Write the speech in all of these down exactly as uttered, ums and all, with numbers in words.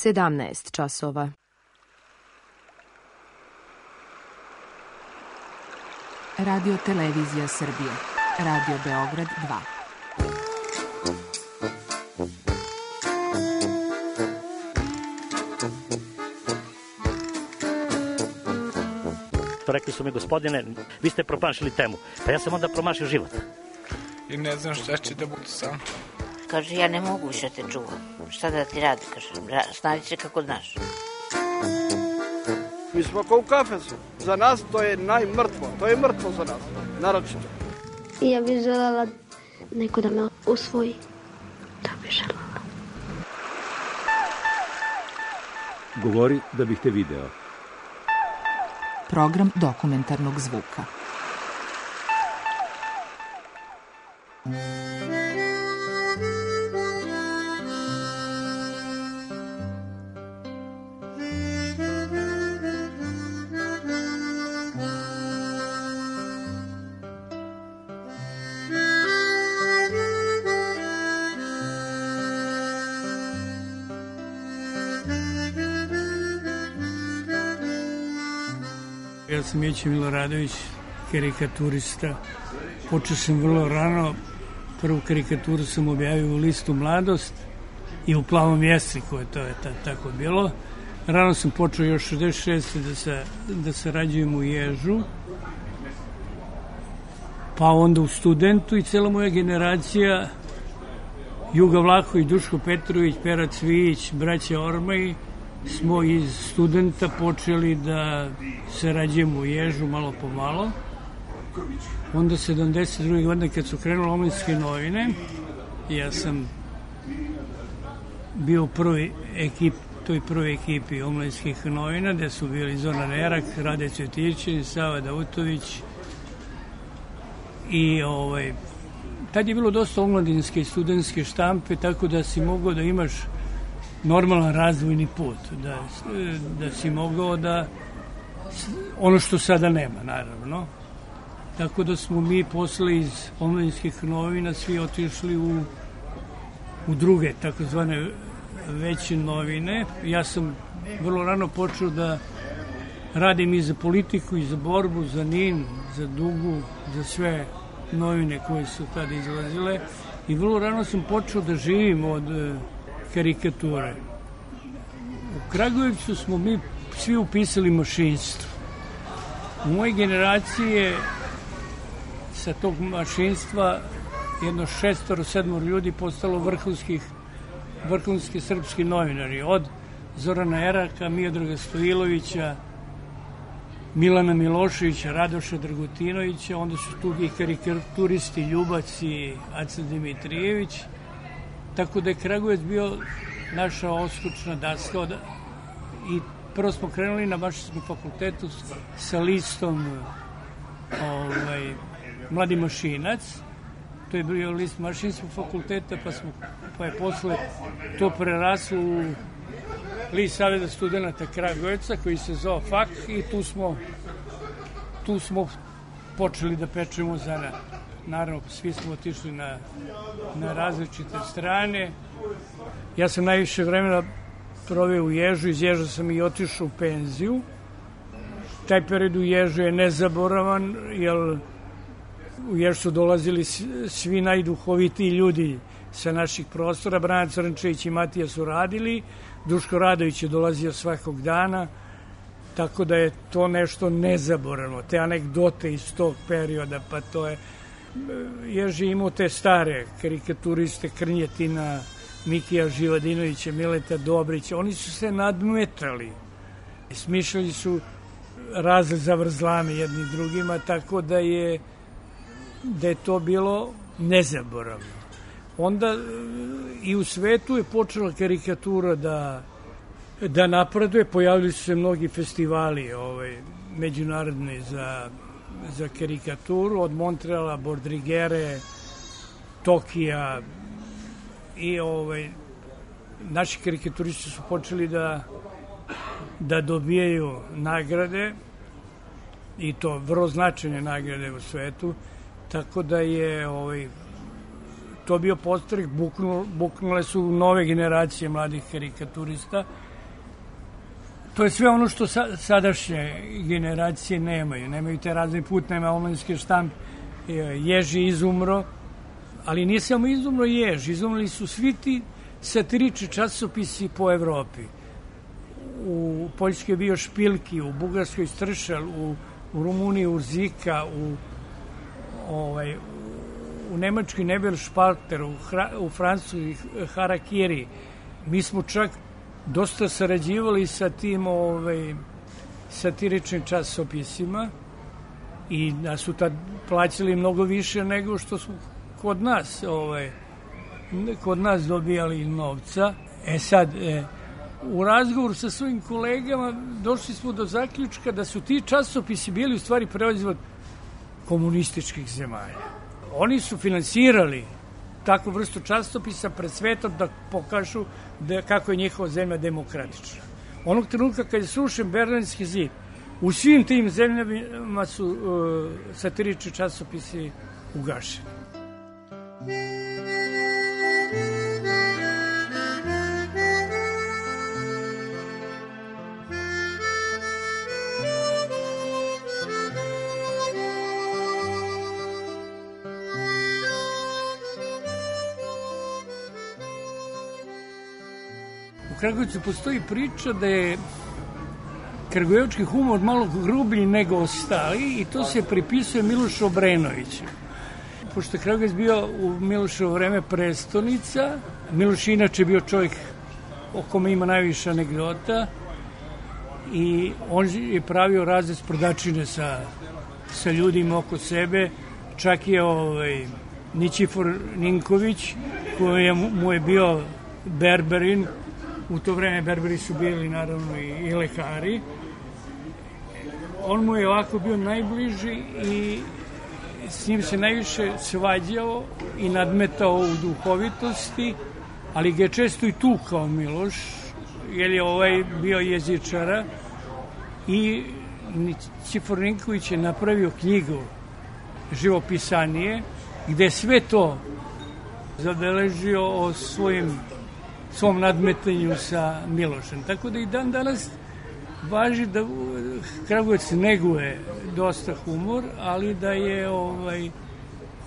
sedamnaest časova. Radio Televizija Srbije. Radio Beograd dva. Rekli su mi, gospodine, vi ste promašili temu. Pa ja sam onda promašio život. I ne znam šta će da budu sam. Kaže, ja ne mogu više te čuvam. Šta da ti radi, kaže, snađi se kako znaš. Mi smo kao u kafesu. Za nas to je najmrtvo. To je mrtvo za nas, naročito. Ja bih želela neko da me usvoji. Da bih želela. Govori da bih te video. Program dokumentarnog zvuka. Ja sam Mića Miloradović, karikaturista. Počeo sam vrlo rano. Prvu karikaturu sam objavio u listu Mladost i u Plavom jesniku, to je tako bilo. Rano sam počeo još šezdeset šeste da, se, da sarađujem u Ježu, pa onda u Studentu i cela moja generacija, Juga Vlahović, Duško Petrović, Pera Cvijić, braća Ormaj, smo iz Studenta počeli da sarađujemo u Ježu malo po malo. Onda sedamdeset druge godine kad su krenule omladinske novine, ja sam bio u prvoj ekipi, toj prvoj ekipi omladinskih novina, gde su bili Zoran Erak, Rade Cvjetićević, Sava Davutović i ovaj, tad je bilo dosta omladinske i studentske štampe, tako da si mogao da imaš normalan razvojni put, da, da si mogao da, ono što sada nema, naravno. Tako da smo mi posle iz omladinskih novina svi otišli u, u druge, takozvane veće novine. Ja sam vrlo rano počeo da radim i za politiku, i za borbu, za N I N, za Dugu, za sve novine koje su tada izlazile. I vrlo rano sam počeo da živim od karikature. U Kragujevcu smo mi svi upisali mašinstvo. U mojoj generaciji je sa tog mašinstva jedno šestoro, sedmoro ljudi postalo vrhunskih, vrhunski srpski novinari. Od Zorana Eraka, Miodraga Stojilovića, Milana Miloševića, Radoša Dragutinovića, onda su tu i karikaturisti Ljubac i Aca Dimitrijević. Tako da je Kragujevac bio naša oskućna daska i prvo smo krenuli na Mašinskom fakultetu sa listom ovaj, Mladi mašinac. To je bio list Mašinskog fakulteta, pa, smo, pa je posle to preraslo u list Saveza studenata Kragujevca koji se zove F A K i tu smo, tu smo počeli da pečemo zanat. Naravno, svi smo otišli na, na različite strane. Ja sam najviše vremena proveo u Ježu, iz Ježa sam i otišao u penziju. Taj period u Ježu je nezaboravan, jer u Ježu su dolazili svi najduhovitiji ljudi sa naših prostora. Brana Crnčević i Matija su radili, Duško Radović je dolazio svakog dana, tako da je to nešto nezaboravno. Te anegdote iz tog perioda, pa to je... Ježi imao te stare karikaturiste Krnjetina, Mikija Živadinovića, Mileta Dobrića. Oni su se nadmetali. Smišljali su razne zavrzlame jedni drugima, tako da je, da je to bilo nezaboravno. Onda i u svetu je počela karikatura da, da napreduje. Pojavili su se mnogi festivali ovaj, međunarodni za... za karikaturu, od Montreala, Bordrigere, Tokija i ovaj, naši karikaturisti su počeli da, da dobijaju nagrade i to vrlo značajne nagrade u svetu, tako da je ovaj, to bio podstrek, buknul, buknule su nove generacije mladih karikaturista to je sve ono što sa, sadašnje generacije nemaju. Nemaju te razne put, nema omladinske štampe. Ježi izumro, ali nije samo izumro Jež, izumrli su svi ti satirični časopisi po Evropi. U Poljskoj je bio Špilki, u Bugarskoj Stršel, u, u Rumuniji Urzika, u, ovaj, u Nemačkoj Nebel Špalter, u, u Francuskoj Harakiri. Mi smo čak dosta sarađivali sa tim ovaj, satiričnim časopisima i da su tad plaćali mnogo više nego što su kod nas ovaj, kod nas dobijali novca. E sad, e, u razgovoru sa svojim kolegama došli smo do zaključka da su ti časopisi bili u stvari proizvod komunističkih zemalja. Oni su finansirali takvu vrstu časopisa pred svetom da pokažu da, kako je njihova zemlja demokratična. Onog trenutka kad je srušen Berlinski zid, u svim tim zemljama su uh, satirični časopisi ugašeni. U Kragujevcu postoji priča da je kragujevački humor malo grublji nego ostali i to se pripisuje Milošu Obrenoviću. Pošto je Kragujevac bio u Miloševo vreme prestonica, Miloš inače bio čovjek o kome ima najviše anegdota i on je pravio razne sprdačine sa, sa ljudima oko sebe. Čak je ovaj, Ničifor Ninković, koji je, mu je bio berberin. U to vreme berberi su bili naravno i, i lekari. On mu je ovako bio najbliži i s njim se najviše svađao i nadmetao u duhovitosti, ali ga je često i tukao Miloš, jer je ovaj bio jezičara i Ničifor Ninković je napravio knjigu živopisanije gde sve to zabeležio o svojim svom nadmetanju sa Milošem. Tako da i dan danas važi da Kragujevac neguje dosta humor, ali da je ovaj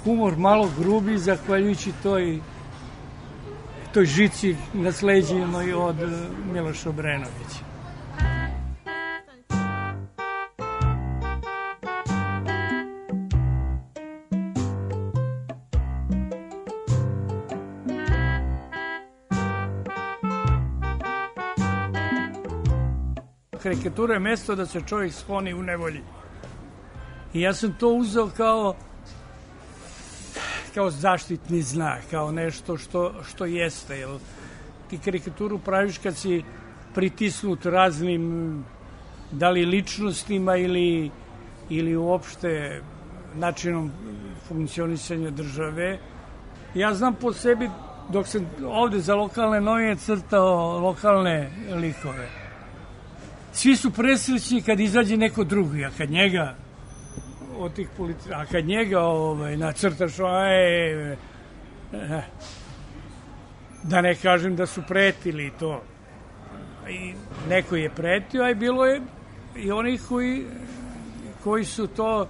humor malo grubi zahvaljujući toj toj žici nasleđenoj od Miloša Obrenovića. Karikatura je mesto da se čovjek skloni u nevolji. I ja sam to uzeo kao kao zaštitni znak, kao nešto što, što jeste. Jer ti karikaturu praviš kad si pritisnut raznim, da li ličnostima ili, ili uopšte načinom funkcionisanja države. Ja znam po sebi, dok sam ovde za lokalne novine crtao lokalne likove, svi su presrećni kad izađe neko drugi, a kad njega od tih politika, a kad njega ovaj, nacrtaš, aj, eh, da ne kažem da su pretili to. I neko je pretio, a i bilo je i onih koji, koji su to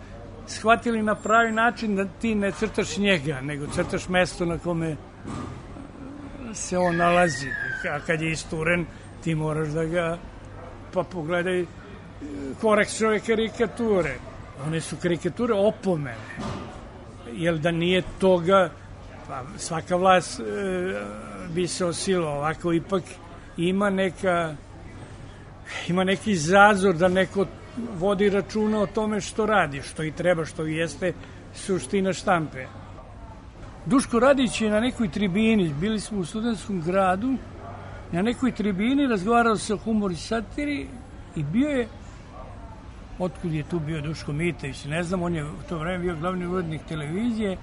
shvatili na pravi način da ti ne crtaš njega, nego crtaš mesto na kome se on nalazi. A kad je isturen, ti moraš da ga pa pogledaj Korekšove karikature. One su karikature opomene. Jer da nije toga, pa svaka vlast e, bi se osila. Ovako ipak ima neka ima neki zazor da neko vodi računa o tome što radi, što i treba, što i jeste suština štampe. Duško Radić je na nekoj tribini, bili smo u Studentskom gradu, na nekoj tribini razgovarao se o humoru i satiri i bio je, otkud je tu bio Duško Mitević, ne znam, on je u to vreme bio glavni urednik televizije,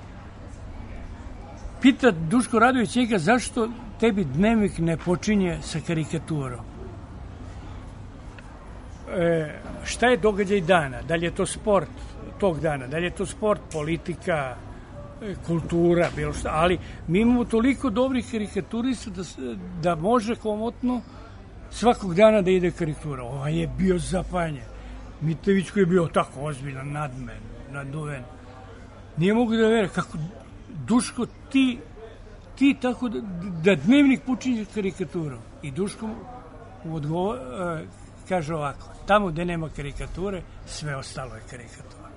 pita Duško Radović njega zašto tebi dnevnik ne počinje sa karikaturom. E, šta je događaj dana? Da li je to sport tog dana? Da li je to sport, politika, kultura, bilo šta, ali mi imamo toliko dobrih karikaturista da, da može komotno svakog dana da ide karikatura. Ovaj je bio zapanjen. Mitević koji je bio tako ozbiljan, nadmen, naduven. Nije mogu da vere kako, Duško, ti, ti tako da, da dnevnik počinje karikaturom. I Duško mu odgovor, uh, kaže ovako, tamo gde nema karikature, sve ostalo je karikatura.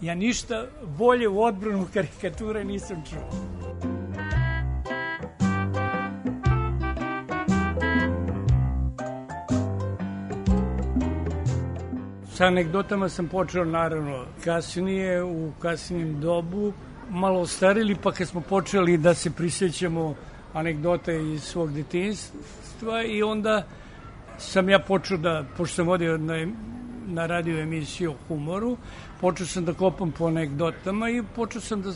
Ja ništa bolje u odbranu karikature nisam čuo. Sa anegdotama sam počeo naravno kasnije, u kasnijem dobu, malo ostarili, pa kad smo počeli da se prisjećamo anegdota iz svog detinjstva i onda sam ja počeo da, pošto sam vodio na, na radio emisiju o humoru, počeo sam da kopam po anegdotama i počeo sam da,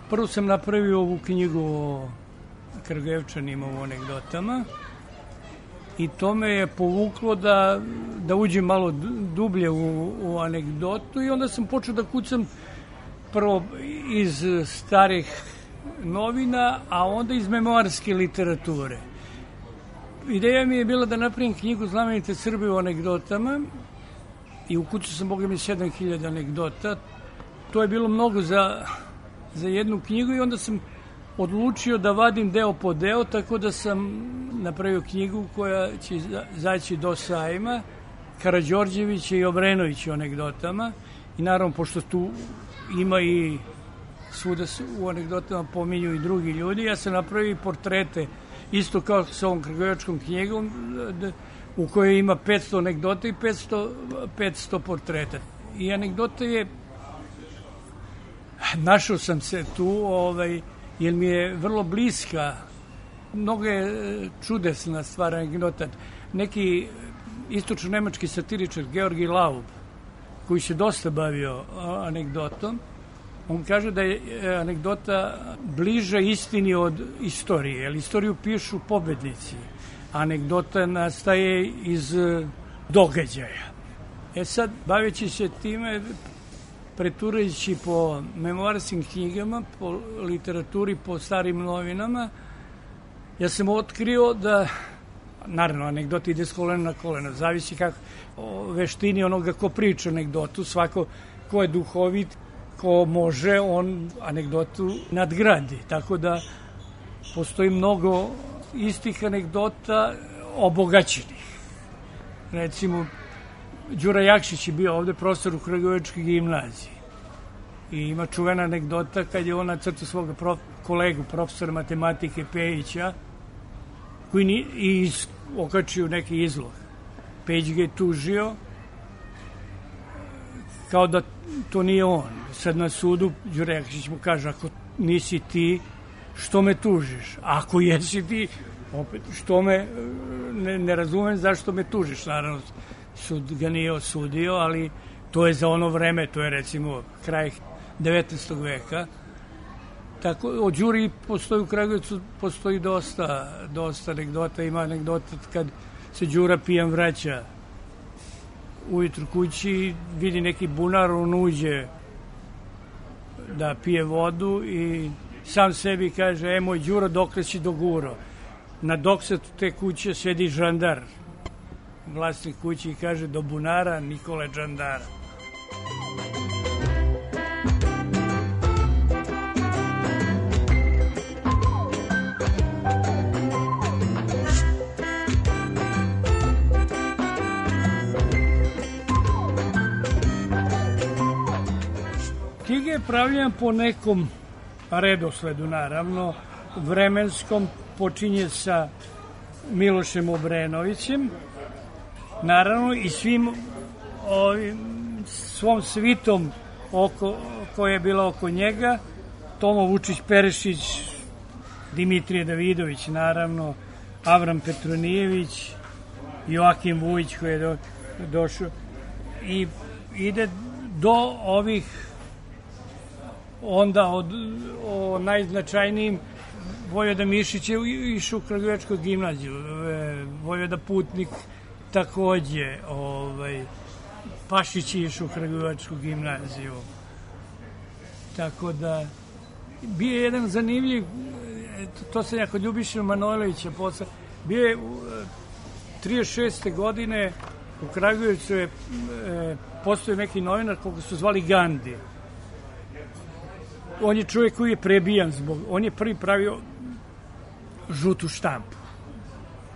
prvo sam napravio ovu knjigu o Kragujevčanima u anegdotama i to me je povuklo da, da uđem malo dublje u, u anegdotu i onda sam počeo da kucam prvo iz starih novina, a onda iz memoarske literature. Ideja mi je bila da napravim knjigu Znamenite Srbe u anegdotama i ukucao sam, boga mi, sedam hiljada anegdota. To je bilo mnogo za, za jednu knjigu i onda sam odlučio da vadim deo po deo, tako da sam napravio knjigu koja će zaći do sajma, Karađorđevića i Obrenovića u anegdotama. I naravno, pošto tu ima i svuda u anegdotama pominju i drugi ljudi, ja sam napravio i portrete, isto kao sa ovom kragujevačkom knjigom, u kojoj ima petsto anegdota i petsto, petsto portreta. I anegdota je, našao sam se tu, ovaj, jer mi je vrlo bliska, mnogo je čudesna stvar anegdota. Neki istočno-nemački satiričar, Georgi Laub, koji se dosta bavio anegdotom, on kaže da je anegdota bliža istini od istorije, jer istoriju pišu pobednici, a anegdota nastaje iz događaja. E sad, baveći se time, preturajući po memoarskim knjigama, po literaturi, po starim novinama, ja sam otkrio da, naravno, anegdota ide s kolena na kolena, zavisi kako o veštini onoga ko priča anegdotu, svako ko je duhovit, ko može, on anegdotu nadgradi. Tako da postoji mnogo istih anegdota obogaćenih. Recimo, Đura Jakšić je bio ovde profesor u Kragujevačkoj gimnaziji. I ima čuvena anegdota kad je on nacrtao svoga prof, kolegu, profesora matematike Pejića, koji ni, i okačio neki izlog. Pejić ga je tužio kao da to nije on. Sad na sudu Đura Jakšić mu kaže, ako nisi ti, što me tužiš? Ako jesi ti, opet, što me, ne, ne razumem zašto me tužiš. Naravno, sud ga nije osudio, ali to je za ono vreme, to je recimo kraj devetnaestog veka. Tako, o Đuri postoji u Kragujevcu, postoji dosta, dosta anegdota. Ima anegdota kad se Đura pijan vraća ujutru kući, vidi neki bunar, on uđe da pije vodu i sam sebi kaže, e, moj Đuro, dokle si doguro? Na doksatu te kuće sedi žandar, vlasnik kući, i kaže, do bunara Nikole Đandara. Knjiga je pravljena po nekom redosledu, naravno, vremenskom, počinje sa Milošem Obrenovićem, naravno i svim ovim, svom svitom oko, koja je bila oko njega, Tomo Vučić Perešić, Dimitrije Davidović, naravno, Avram Petronijević, Joakim Vujić koji je do, došao i ide do ovih onda od, o najznačajnijim. Vojvoda Mišić je išao u Kragujevačku gimnaziju, Vojvoda Putnik takođe, ovaj, Pašić je išao u Kragujevačku gimnaziju. Tako da, bio je jedan zanimljiv, to sam ja kod Ljubiša Manojlovića posle, bio je trideset šeste. godine u Kragujevcu je e, postoji neki novinar koga su zvali Gandhi. On je čovjek koji je prebijan zbog... On je prvi pravio žutu štampu.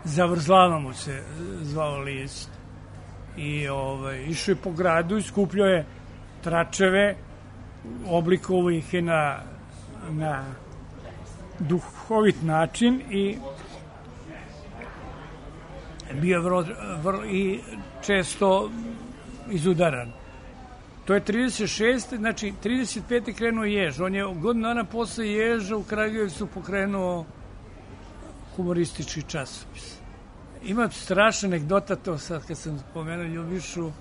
Zavrzlavamo se, zvao list. I ovaj, išao je po gradu i skupljao je tračeve, oblikovao ih je na, na duhovit način i bio vrlo, vrlo i često izudaran. To je trideset šeste. Znači trideset pete krenuo Jež. On je godinu dana posle Ježa u Kragujevcu pokrenuo humoristički časopis. Ima strašna anegdota, to sad kad sam spomenuo Ljubišu.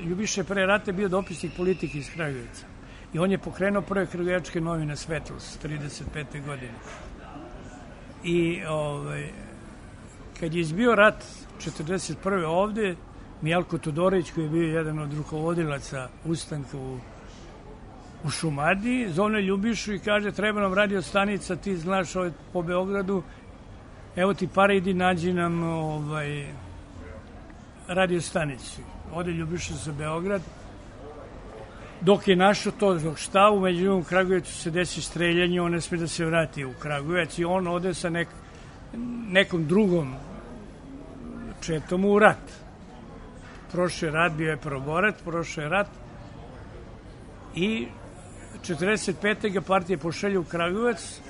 Ljubiša je pre rata bio dopisnik politike iz Kragujevca. I on je pokrenuo prve kragujevačke novine Svetlost, trideset pete. godine. I ovaj, kad je izbio rat četrdeset prve. ovde, Mijalko Todorović, koji je bio jedan od rukovodilaca ustanka u, u Šumadiji, zove Ljubišu i kaže, treba nam radio stanica, ti znaš ovaj, po Beogradu, evo ti pare, idi nađi nam ovaj, radio stanicu. Ode Ljubiša za Beograd. Dok je našao to, dok šta, u međuvremenu u Kragujevcu se desi streljanje, on ne sme da se vrati u Kragujevac i on ode sa nek, nekom drugom četom u rat. Prošao je rat, bio je prvoborac, prošao je rat i četrdeset pete. ga partija pošalje u Kragujevac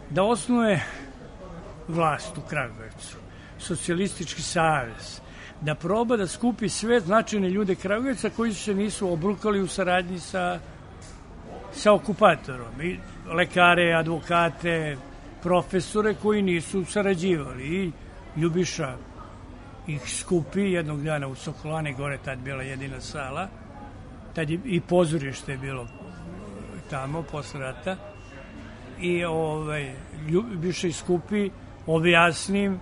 da osnuje vlast u Kragujevcu, socijalistički savez, da proba da skupi sve značajne ljude Kragujevca koji se nisu obrukali u saradnji sa, sa okupatorom. I lekare, advokate, profesore koji nisu sarađivali. I Ljubiša ih skupi jednog dana u Sokolani, gore tad bila jedina sala, tad je i pozorište je bilo tamo posle rata. I ovaj, Ljubiša ih skupi, objasnim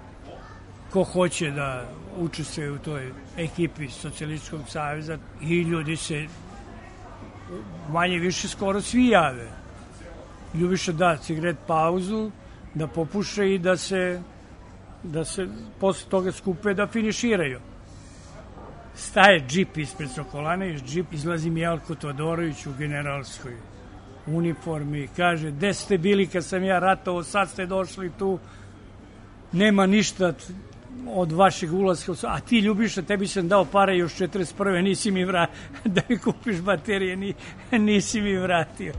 ko hoće da učestvuje u toj ekipi Socijalističkog saveza i ljudi se manje više skoro svi jave. Ljubiša da cigaret pauzu, da popuše i da se da se posle toga skupe da finiširaju. Staje džip ispred Sokolane, iz džip izlazi Mijalko Todorović u generalskoj uniformi i kaže, gde ste bili kad sam ja ratovao, sad ste došli tu, nema ništa od vašeg ulaska, a ti Ljubiša, tebi sam dao pare još četrdeset prve. nisi mi vratio, da mi kupiš baterije, ni, nisi mi vratio.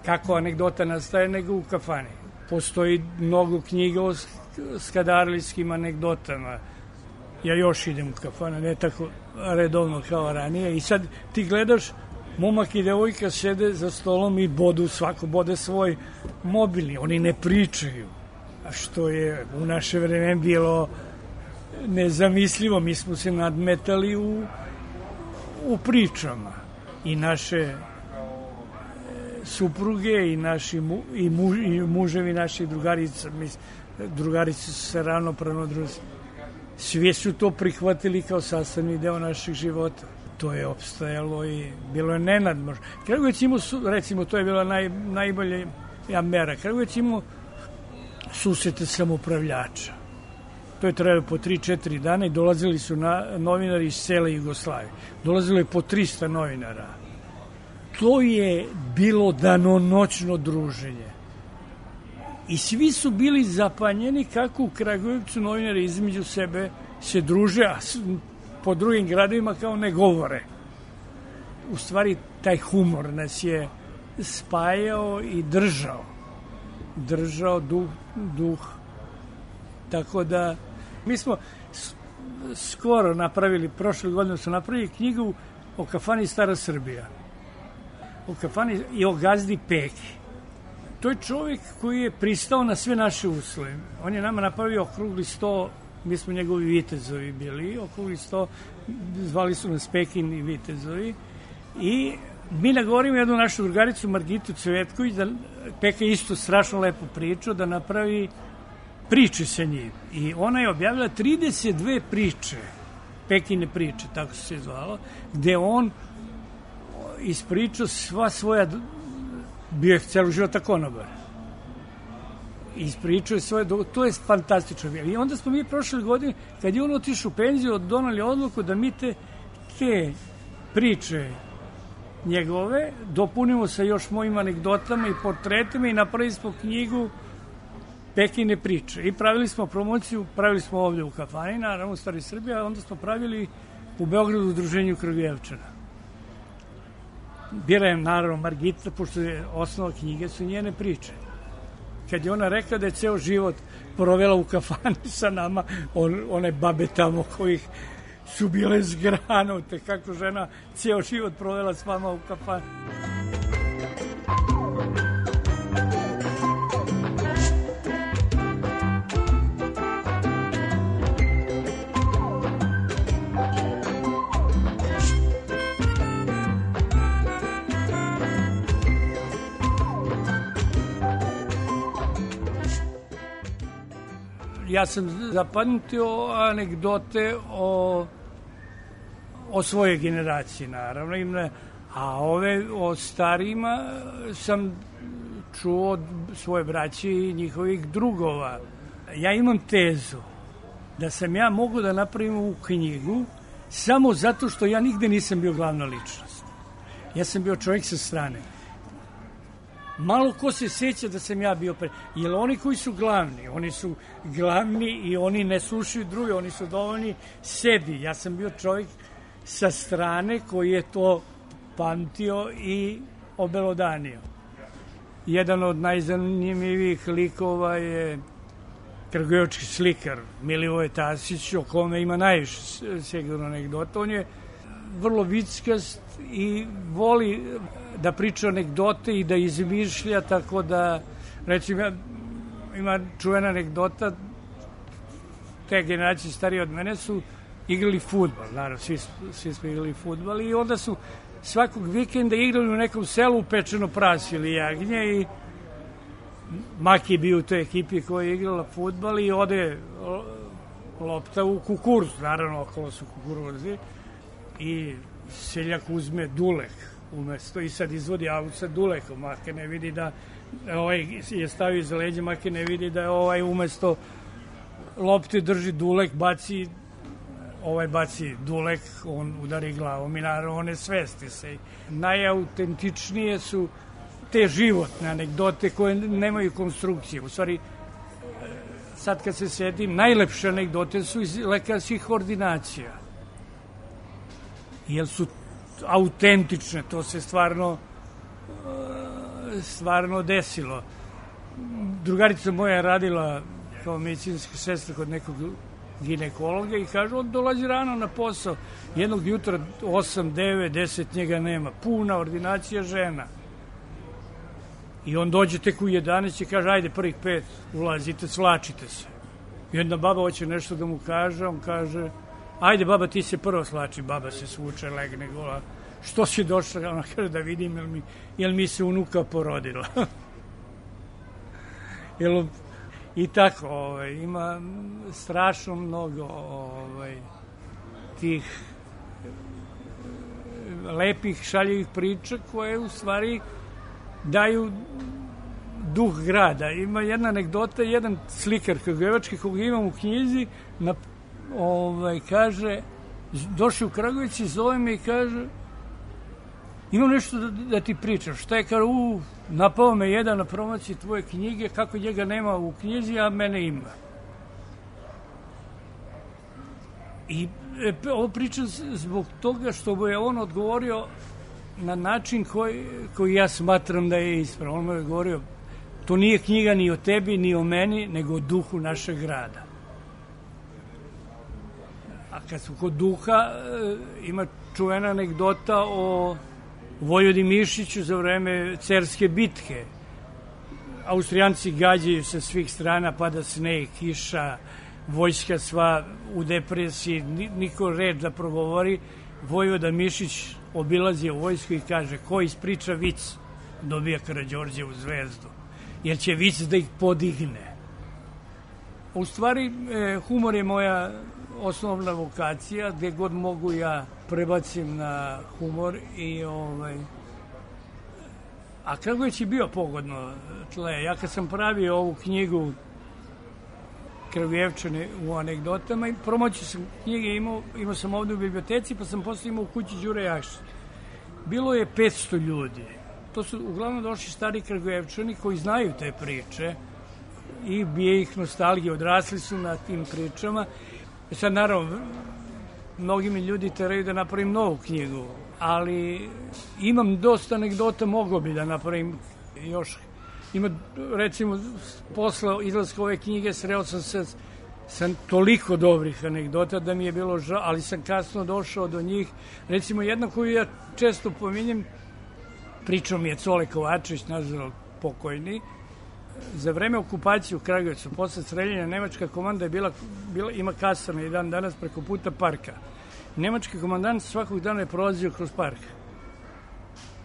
Kako anegdota nastaje, nego u kafani. Postoji mnogo knjiga o skadarlijskim anegdotama. Ja još idem u kafanu, ne tako redovno kao ranije. I sad ti gledaš, momak i devojka sede za stolom i bodu, svako bode svoj mobilni. Oni ne pričaju. A što je u naše vreme bilo nezamislivo. Mi smo se nadmetali u, u pričama. I naše supruge i naši mu, i, mu, i muževi naših drugarica, mis, drugarice su se ravnopravno družili. Svi su to prihvatili kao sastavni deo naših života. To je opstajalo i bilo je nenadmožno. Kragujevac imao, recimo, to je bila naj, najbolja ja, mera. Kragujevac imao susrete samoupravljača. To je trajalo po tri četiri dana i dolazili su na, novinari iz cele Jugoslavije. Dolazilo je po trista novinara. To je bilo danonoćno druženje. I svi su bili zapanjeni kako u Kragujevcu novinari između sebe se druže, a po drugim gradovima kao ne govore. U stvari, taj humor nas je spajao i držao. Držao duh, duh. Tako da, mi smo skoro napravili, prošle godine su napravili knjigu o kafani Stara Srbija. O kafani i o gazdi Peki. To je čovjek koji je pristao na sve naše uslove. On je nama napravio okrugli sto, mi smo njegovi vitezovi bili, okrugli sto, zvali su nas Pekin i vitezovi. I mi nagovorimo jednu našu drugaricu, Margitu Cvetković, da Peka isto strašno lepo pričao, da napravi priče sa njim. I ona je objavila trideset dve priče, Pekine priče, tako se zvalo, gde on ispričao sva svoja, bio je celu života konobar. Ispričao je svoje, to je fantastično. I onda smo mi prošle godine, kad je on otišao u penziju, donali odluku da mi te, te priče njegove dopunimo sa još mojim anegdotama i portretima i napravili smo knjigu Pekine priče. I pravili smo promociju, pravili smo ovde u kafani, naravno u Staroj Srbiji, a onda smo pravili u Beogradu u Udruženju Kragujevčana. Bila je naravno Margita, pošto je osnova knjige su njene priče. Kad je ona rekla da je ceo život provela u kafani sa nama, on, one babe tamo kojih su bile zgranute, kako žena ceo život provela s vama u kafani. Ja sam zapamtio anegdote o, o svojoj generaciji, naravno, a ove o starijima sam čuo od svoje braće i njihovih drugova. Ja imam tezu da sam ja mogu da napravim ovu knjigu samo zato što ja nigde nisam bio glavna ličnost. Ja sam bio čovjek sa strane. Malo ko se sjeća da sam ja bio pre... Jer oni koji su glavni, oni su glavni i oni ne slušaju druge, oni su dovoljni sebi. Ja sam bio čovjek sa strane koji je to pamtio i obelodanio. Jedan od najzanimljivijih likova je kragujevački slikar Milivoje Tasić, o kome ima najviše sigurno anegdota. On je vrlo vickast i voli da priča anegdote i da izmišlja, tako da, recimo, ima čuvena anegdota, te generacije starije od mene su igrali fudbal, naravno, svi, svi smo igrali fudbal i onda su svakog vikenda igrali u nekom selu pečeno prasi ili jagnje i Maki je bio u toj ekipi koja je igrala fudbal i ode lopta u kukuruz, naravno, okolo su kukuruzi i seljak uzme dulek umesto i sad izvodi aut sa dulekom, Make ne vidi da ovaj je stavio iza leđa, Make ne vidi da je ovaj umesto lopte drži dulek, baci ovaj baci dulek, on udari glavom i naravno one svesti se. Najautentičnije su te životne anegdote koje nemaju konstrukcije. U stvari, sad kad se sedim, najlepše anegdote su iz lekarskih ordinacija. Jer su autentične, to se stvarno stvarno desilo. Drugarica moja je radila kao medicinska sestra kod nekog ginekologa i kaže, on dolazi rano na posao. Jednog jutra, osam, devet, deset, njega nema. Puna ordinacija žena. I on dođe tek u jedanaest i kaže, ajde, prvih pet, ulazite, svlačite se. I onda baba hoće nešto da mu kaže, on kaže, ajde, baba, ti se prvo slači. Baba se svuče, legne gola. Što si došla? Ona kaže, da vidim, jel mi, jel mi se unuka porodila. jel, I tako, ovaj, ima strašno mnogo ovaj, tih lepih, šaljivih priča koje u stvari daju duh grada. Ima jedna anegdota, jedan slikar kragujevački koga imam u knjizi, na, ovaj, kaže, došao u Kragujevac i zove me i kaže, imam nešto da, da ti pričam. Šta je, kaže, u, napao me jedan na promociji tvoje knjige, kako njega nema u knjizi, a mene ima. I e, ovo pričam zbog toga što je on odgovorio na način koji, koji ja smatram da je ispravan. On mu je govorio, to nije knjiga ni o tebi, ni o meni, nego o duhu našeg grada. A kad su kod duha, ima čuvena anegdota o Vojvodi Mišiću za vreme Cerske bitke. Austrijanci gađaju sa svih strana, pada sneg, kiša, vojska sva u depresiji, niko red da progovori. Vojvoda Mišić obilazi u vojsku i kaže, ko ispriča vic, dobija Karađorđevu zvezdu, jer će vic da ih podigne. U stvari, e, humor je moja osnovna vokacija, gde god mogu ja prebacim na humor i ovaj... A Kragujevac je bio pogodno tle. Ja kad sam pravio ovu knjigu Kragujevčane u anegdotama, promociju sam knjige imao, imao sam ovde u biblioteci, pa sam posle imao u kući Đure Jakšića. Bilo je petsto ljudi. To su uglavnom došli stari Kragujevčani koji znaju te priče i bije ih nostalgije, odrasli su na tim pričama. Sad, naravno, mnogi mi ljudi teraju da napravim novu knjigu, ali imam dosta anegdota, mogao bi da napravim još. Ima, recimo, posle izlaska ove knjige sreo sam se sa toliko dobrih anegdota da mi je bilo žao, ali sam kasno došao do njih. Recimo, jedna koju ja često pominjem, pričao mi je Cole Kovačević, nažalost pokojni, za vreme okupacije u Kragujevcu, posle streljenja, nemačka komanda je bila, bila ima kasarne i dan danas preko puta parka. Nemački komandant svakog dana je prolazio kroz park.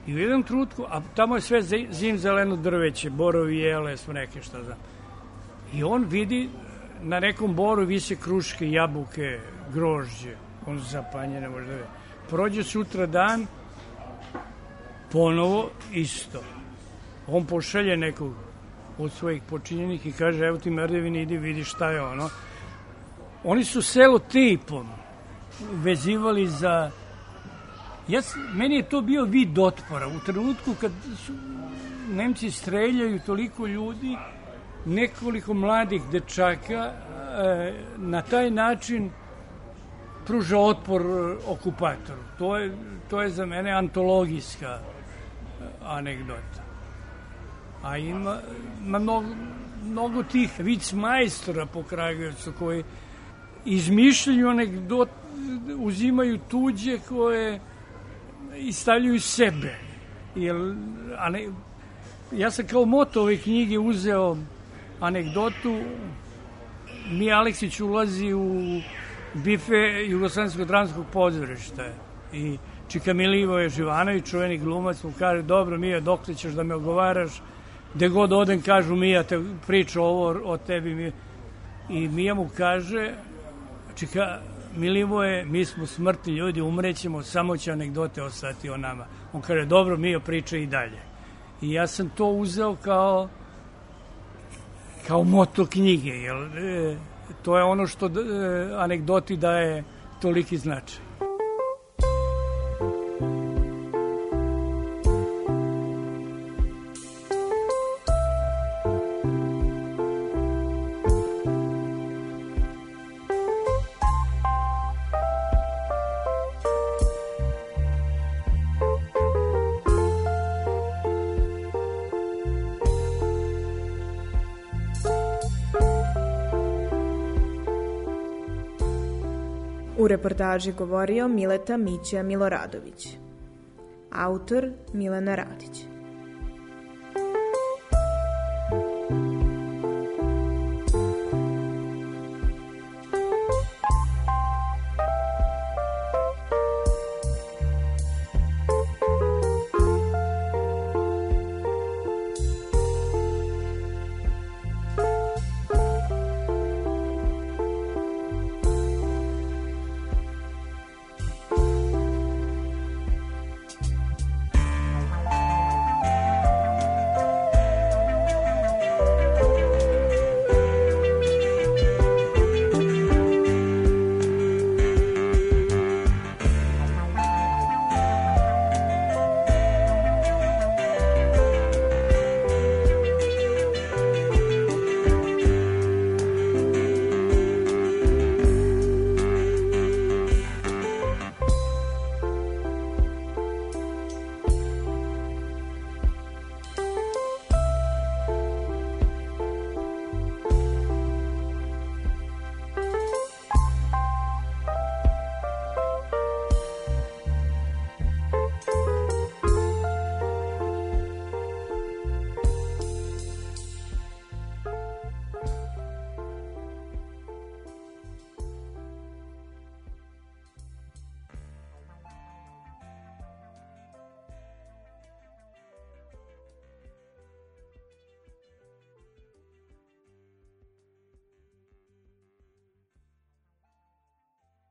I u jednom trutku, a tamo je sve zim zeleno drveće, borovi, jele, sve neke, šta znam. I on vidi, na nekom boru vise kruške, jabuke, grožđe. On zapanje, ne može da vidi. Prođe sutra dan, ponovo isto. On pošalje nekog od svojih počinjenih i kaže, evo ti merdevini, idi vidi šta je ono. Oni su selo tipom vezivali za... Ja, meni je to bio vid otpora. U trenutku kad su Nemci streljaju toliko ljudi, nekoliko mladih dečaka e, na taj način pruža otpor okupatoru. To je, to je za mene antologijska anegdota. A ima, ima mnogo, mnogo tih vicmajstora po Kragujevcu koji izmišljaju anegdot, uzimaju tuđe koje i stavljaju sebe. Jer, a ne, ja sam kao moto ove knjige uzeo anegdotu. Mija Aleksić ulazi u bife Jugoslovenskog dramskog pozorišta i Čika Milivoje Živanović, čuveni glumac, mu kaže, dobro Mija, dokle ćeš da me ogovaraš, gde god odem kažu Mija, te priča ovo o tebi. Mija. I Mija mu kaže, Čika Milivoje, mi smo smrtni ljudi, umrećemo, samo će anegdote ostati o nama. On kaže, dobro Mija, priča i dalje. I ja sam to uzeo kao kao moto knjige, jer e, to je ono što e, anegdoti daje toliki značaj. U reportaži govorio Mileta Mića Miloradović. Autor Milena Radić.